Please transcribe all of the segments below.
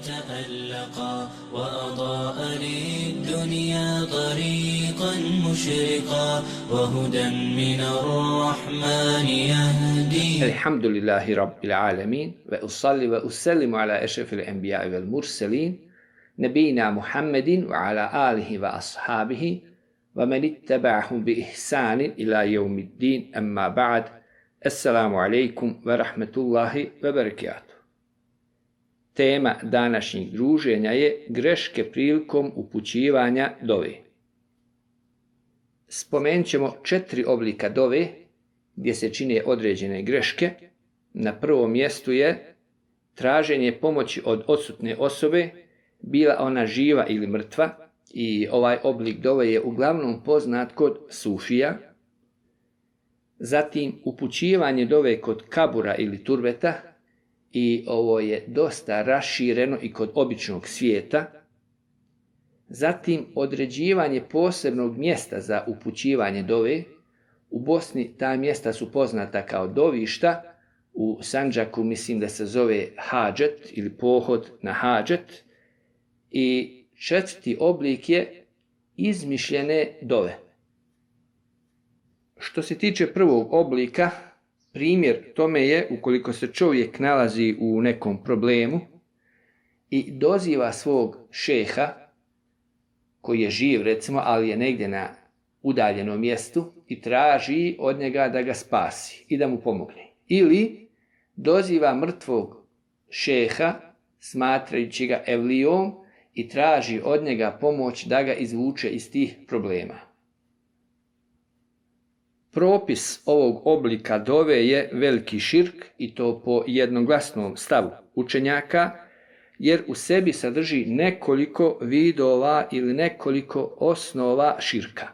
تألقا وأضاء للدنيا طريقا مشرقا وهدى من الرحمن يهدي. الحمد لله رب العالمين وأصلي وأسلم على أشرف الأنبياء والمرسلين نبينا محمد وعلى آله وأصحابه ومن اتبعهم بإحسان إلى يوم الدين. أما بعد. Assalamu alaikum wa rahmatullahi wa barakatuh. Tema današnjeg druženja je greške prilikom upućivanja dove. Spomenut ćemo 4 oblika dove gdje se čine određene greške. Na prvom mjestu je traženje pomoći od odsutne osobe, bila ona živa ili mrtva, i ovaj oblik dove je uglavnom poznat kod sufija. Zatim upućivanje dove kod kabura ili turbeta, i ovo je dosta rašireno i kod običnog svijeta. Zatim određivanje posebnog mjesta za upućivanje dove. U Bosni ta mjesta su poznata kao dovišta, u Sandžaku mislim da se zove hadžet ili pohod na hadžet. I 4. oblik je izmišljene dove. Što se tiče prvog oblika, primjer tome je ukoliko se čovjek nalazi u nekom problemu i doziva svog šeha, koji je živ recimo, ali je negdje na udaljenom mjestu, i traži od njega da ga spasi i da mu pomogne. Ili doziva mrtvog šeha, smatrajući ga evlijom, i traži od njega pomoć da ga izvuče iz tih problema. Propis ovog oblika dove je veliki širk, i to po jednoglasnom stavu učenjaka, jer u sebi sadrži nekoliko vidova ili nekoliko osnova širka.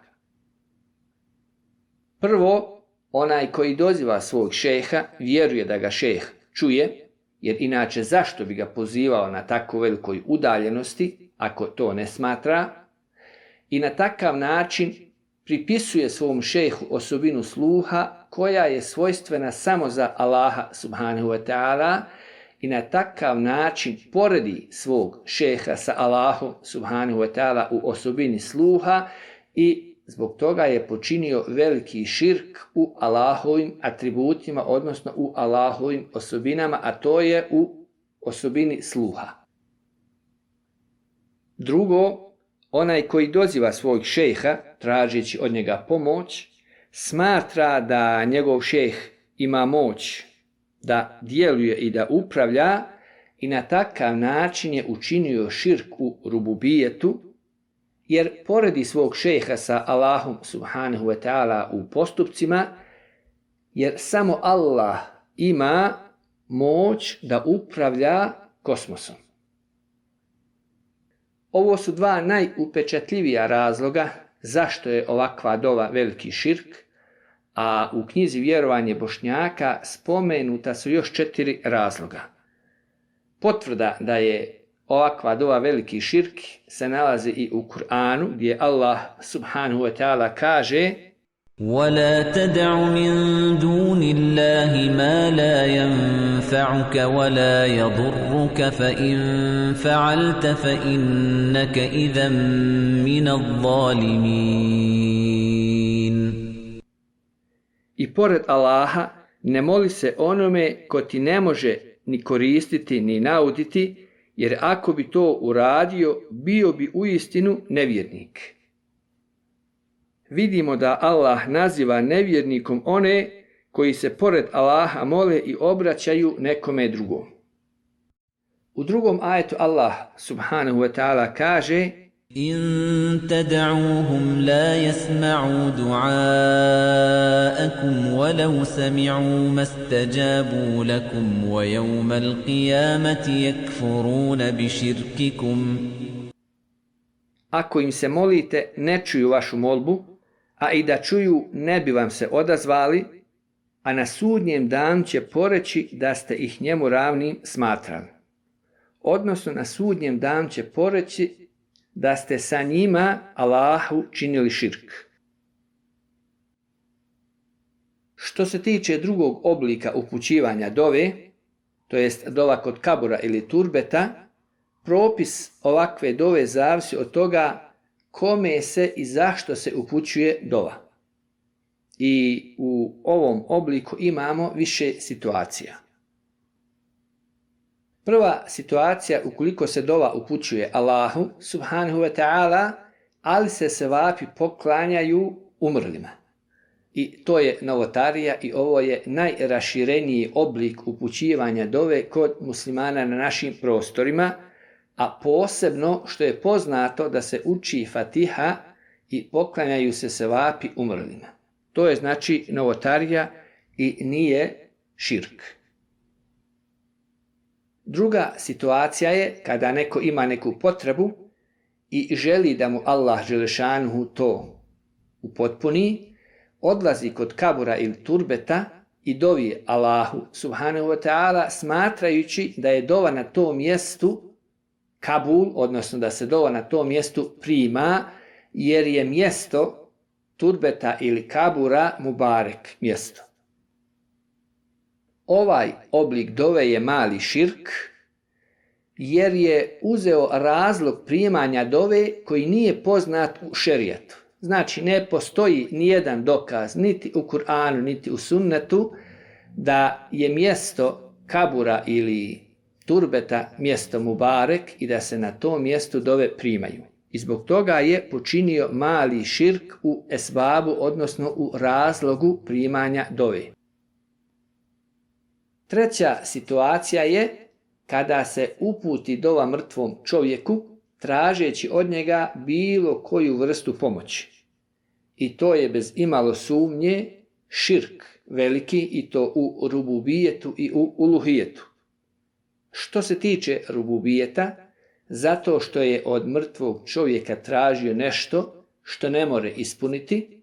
Prvo, onaj koji doziva svog šeha vjeruje da ga šeh čuje, jer inače zašto bi ga pozivao na tako velikoj udaljenosti ako to ne smatra, i na takav način pripisuje svom šejhu osobinu sluha koja je svojstvena samo za Allaha subhanahu wa ta'ala, i na takav način poredi svog šeha sa Allahom subhanahu wa ta'ala u osobini sluha, i zbog toga je počinio veliki širk u Allahovim atributima, odnosno u Allahovim osobinama, a to je u osobini sluha. Drugo, onaj koji doziva svog šejha tražeći od njega pomoć, smatra da njegov šejh ima moć da djeluje i da upravlja, i na takav način je učinio širk u rububijetu, jer poredi svog šejha sa Allahom subhanahu wa ta'ala u postupcima, jer samo Allah ima moć da upravlja kosmosom. Ovo su 2 najupečatljivija razloga zašto je ovakva dova veliki širk, a u knjizi Vjerovanje Bošnjaka spomenuta su još 4 razloga. Potvrda da je ovakva dova veliki širk se nalazi i u Kur'anu, gdje Allah subhanahu wa ta'ala kaže: وَلَا تَدْعُ مِن دُونِ اللَّهِ مَا لَا يَنفَعُكَ وَلَا يَضُرُّكَ فَإِن فَعَلْتَ فَإِنَّكَ إِذًا مِنَ الظَّالِمِينَ. I pored Allaha ne moli se onome ko ti ne može ni koristiti ni nauditi, jer ako bi to uradio, bio bi uistinu nevjernik. Vidimo da Allah naziva nevjernikom one koji se pored Allaha mole i obraćaju nekome drugom. U drugom ajetu Allah subhanahu wa ta'ala kaže: إن تدعوهم لا يسمعوا دعاءكم ولو سمعوا ما استجابوا لكم ويوم القيامة يكفرون بشرككم. Ako im se molite, ne čuju vašu molbu, a i da čuju, ne bi vam se odazvali, a na sudnjem danu će poreći da ste ih njemu ravnim smatrali. Odnosno na sudnjem danu će poreći da ste sa njima Allahu činili širk. Što se tiče drugog oblika upućivanja dove, to jest dova kod kabura ili turbeta, propis ovakve dove zavisi od toga kome se i zašto se upućuje dova. I u ovom obliku imamo više situacija. Prva situacija, ukoliko se dova upućuje Allahu subhanahu wa ta'ala, ali se sevapi poklanjaju umrlima. I to je novotarija i ovo je najrašireniji oblik upućivanja dove kod muslimana na našim prostorima, a posebno što je poznato da se uči Fatiha i poklanjaju se sevapi umrlima. To je znači novotarija i nije širk. Druga situacija je kada neko ima neku potrebu i želi da mu Allah dželešanuhu to upotpuni, odlazi kod kabura ili turbeta i dovi Allahu subhanahu wa ta'ala smatrajući da je dova na tom mjestu kabul, odnosno da se dova na tom mjestu prima, jer je mjesto turbeta ili kabura mubarek mjesto. Ovaj oblik dove je mali širk, jer je uzeo razlog primanja dove koji nije poznat u šerijatu. Znači, ne postoji nijedan dokaz, niti u Kur'anu, niti u sunnetu, da je mjesto kabura ili turbeta mjesto mubarek i da se na tom mjestu dove primaju. I zbog toga je počinio mali širk u esbabu, odnosno u razlogu primanja dove. Treća situacija je kada se uputi dova mrtvom čovjeku tražeći od njega bilo koju vrstu pomoći. I to je bez imalo sumnje širk veliki, i to u rububijetu i u uluhijetu. Što se tiče rububijeta, zato što je od mrtvog čovjeka tražio nešto što ne more ispuniti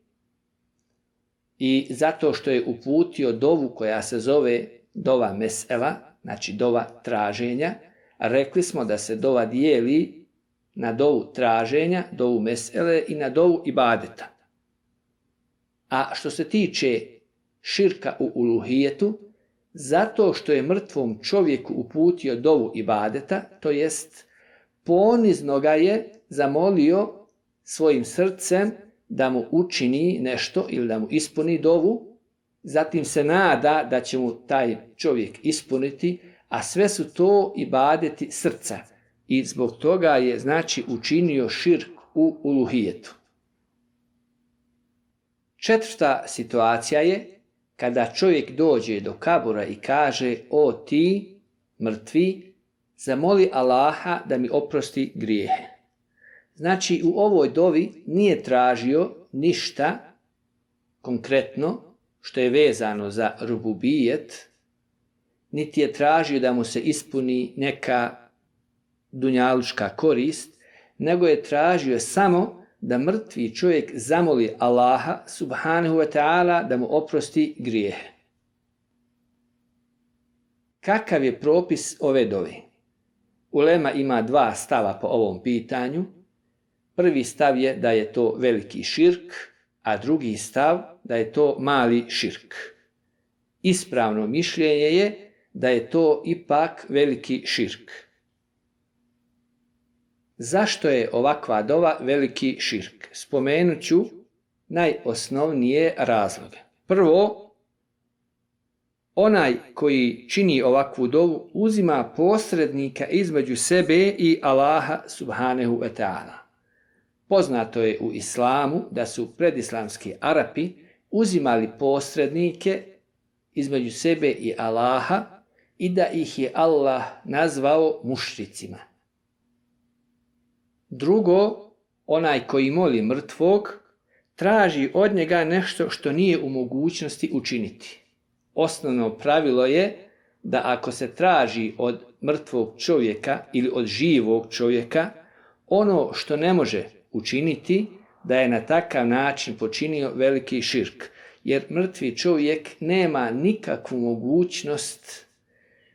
i zato što je uputio dovu koja se zove dova mesela, znači dova traženja, rekli smo da se dova dijeli na dovu traženja, dovu mesele i na dovu ibadeta. A što se tiče širka u uluhijetu, zato što je mrtvom čovjeku uputio dovu ibadeta, to jest ponizno ga je zamolio svojim srcem da mu učini nešto ili da mu ispuni dovu, zatim se nada da će mu taj čovjek ispuniti, a sve su to ibadeti srca. I zbog toga je znači učinio širk u uluhijetu. Četvrta situacija je kada čovjek dođe do kabura i kaže: o ti, mrtvi, zamoli Allaha da mi oprosti grijehe. Znači, u ovoj dovi nije tražio ništa konkretno što je vezano za rububijet, niti je tražio da mu se ispuni neka dunjalučka korist, nego je tražio samo da mrtvi čovjek zamoli Allaha subhanahu wa ta'ala da mu oprosti grijehe. Kakav je propis ove dove? Ulema ima dva stava po ovom pitanju. Prvi stav je da je to veliki širk, a drugi stav da je to mali širk. Ispravno mišljenje je da je to ipak veliki širk. Zašto je ovakva dova veliki širk? Spomenut ću najosnovnije razloge. Prvo, onaj koji čini ovakvu dovu uzima posrednika između sebe i Allaha subhanahu wa ta'ala. Poznato je u islamu da su predislamski Arapi uzimali posrednike između sebe i Allaha i da ih je Allah nazvao mušricima. Drugo, onaj koji moli mrtvog traži od njega nešto što nije u mogućnosti učiniti. Osnovno pravilo je da ako se traži od mrtvog čovjeka ili od živog čovjeka ono što ne može učiniti, da je na takav način počinio veliki širk, jer mrtvi čovjek nema nikakvu mogućnost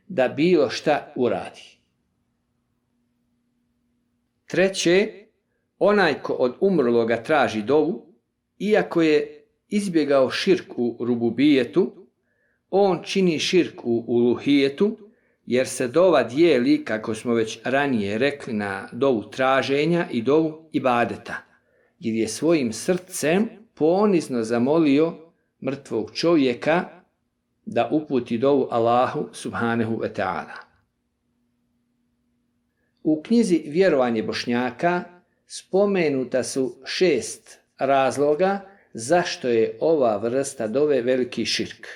da bilo šta uradi. Treće, onaj ko od umrloga traži dovu, iako je izbjegao širk u rububijetu, on čini širk u uluhijetu, jer se dova dijeli, kako smo već ranije rekli, na dovu traženja i dovu ibadeta, jer je svojim srcem ponizno zamolio mrtvog čovjeka da uputi dovu Allahu subhanahu wa ta'ala. U knjizi Vjerovanje Bošnjaka spomenuta su 6 razloga zašto je ova vrsta dove veliki širk.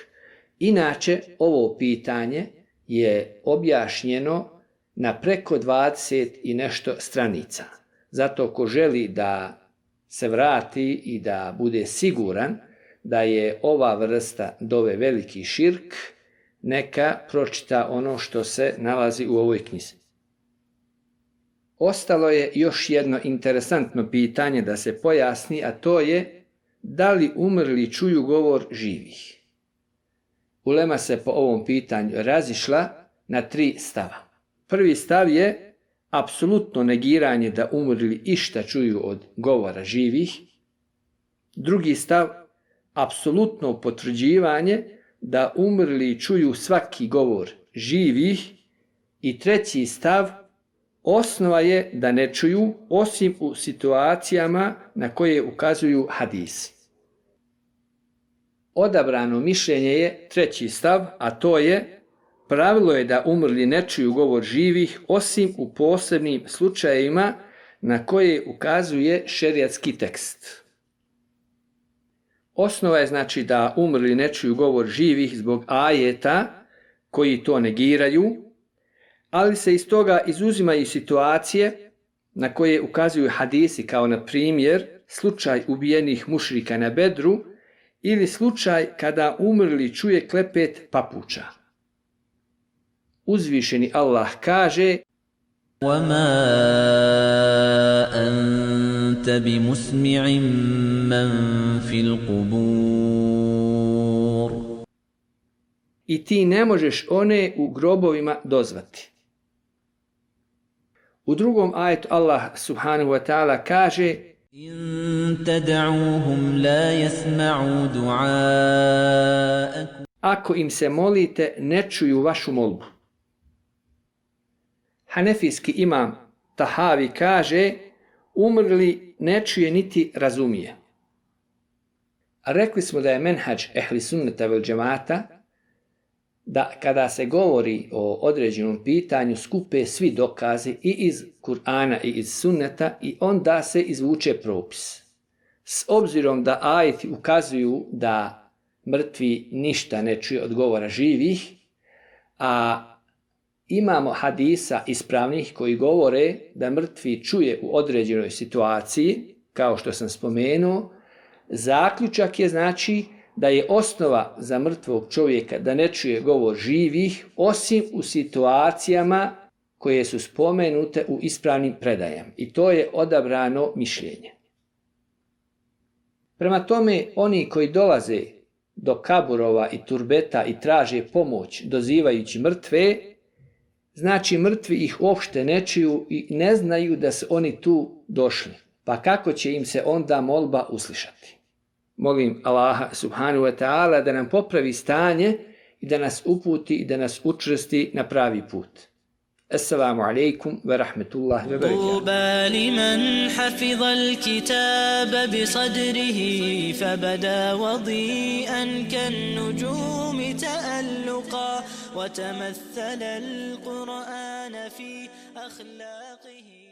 Inače, ovo pitanje je objašnjeno na preko 20 i nešto stranica. Zato ko želi da se vrati i da bude siguran da je ova vrsta dove veliki širk, neka pročita ono što se nalazi u ovoj knjizi. Ostalo je još jedno interesantno pitanje da se pojasni, a to je da li umrli čuju govor živih. Ulema se po ovom pitanju razišla na 3 stava. Prvi stav je apsolutno negiranje da umrli išta čuju od govora živih. Drugi stav, apsolutno potvrđivanje da umrli čuju svaki govor živih. I treći stav, osnova je da ne čuju osim u situacijama na koje ukazuju hadisi. Odabrano mišljenje je treći stav, a to je pravilo je da umrli ne čuju govor živih osim u posebnim slučajevima na koje ukazuje šerijatski tekst. Osnova je znači da umrli ne čuju govor živih zbog ajeta koji to negiraju, ali se iz toga izuzimaju situacije na koje ukazuju hadisi, kao na primjer slučaj ubijenih mušrika na Bedru ili slučaj kada umrli čuje klepet papuča. Uzvišeni Allah kaže: وَمَا أَنْتَ بِمُسْمِعٍ مَّنْ فِي الْقُبُورِ. I ti ne možeš one u grobovima dozvati. U drugom ajetu Allah subhanahu wa ta'ala kaže: إِن تَدْعُوهُمْ لَا يَسْمَعُوا دُعَاءَكُمْ. Ako im se molite, ne čuju vašu molbu. Hanefijski imam Tahavi kaže: umrli ne čuje niti razumije. A rekli smo da je menhađ ehli sunneta vel džemata da kada se govori o određenom pitanju skupe svi dokazi i iz Kur'ana i iz sunneta i onda se izvuče propis. S obzirom da ajeti ukazuju da mrtvi ništa ne čuje od govora živih, a imamo hadisa ispravnih koji govore da mrtvi čuje u određenoj situaciji, kao što sam spomenuo, zaključak je znači da je osnova za mrtvog čovjeka da ne čuje govor živih osim u situacijama koje su spomenute u ispravnim predajama. I to je odabrano mišljenje. Prema tome, oni koji dolaze do kaburova i turbeta i traže pomoć dozivajući mrtve, znači mrtvi ih uopšte ne čuju i ne znaju da su oni tu došli. Pa kako će im se onda molba uslišati? Molim Allaha subhanahu wa ta'ala da nam popravi stanje i da nas uputi i da nas učvrsti na pravi put. Assalamu alaikum wa rahmatullahi wa barakatuh. طوبى لمن حفظ الكتاب بصدره فبدا وضيئا كالنجوم تألقا وتمثل القرآن في أخلاقه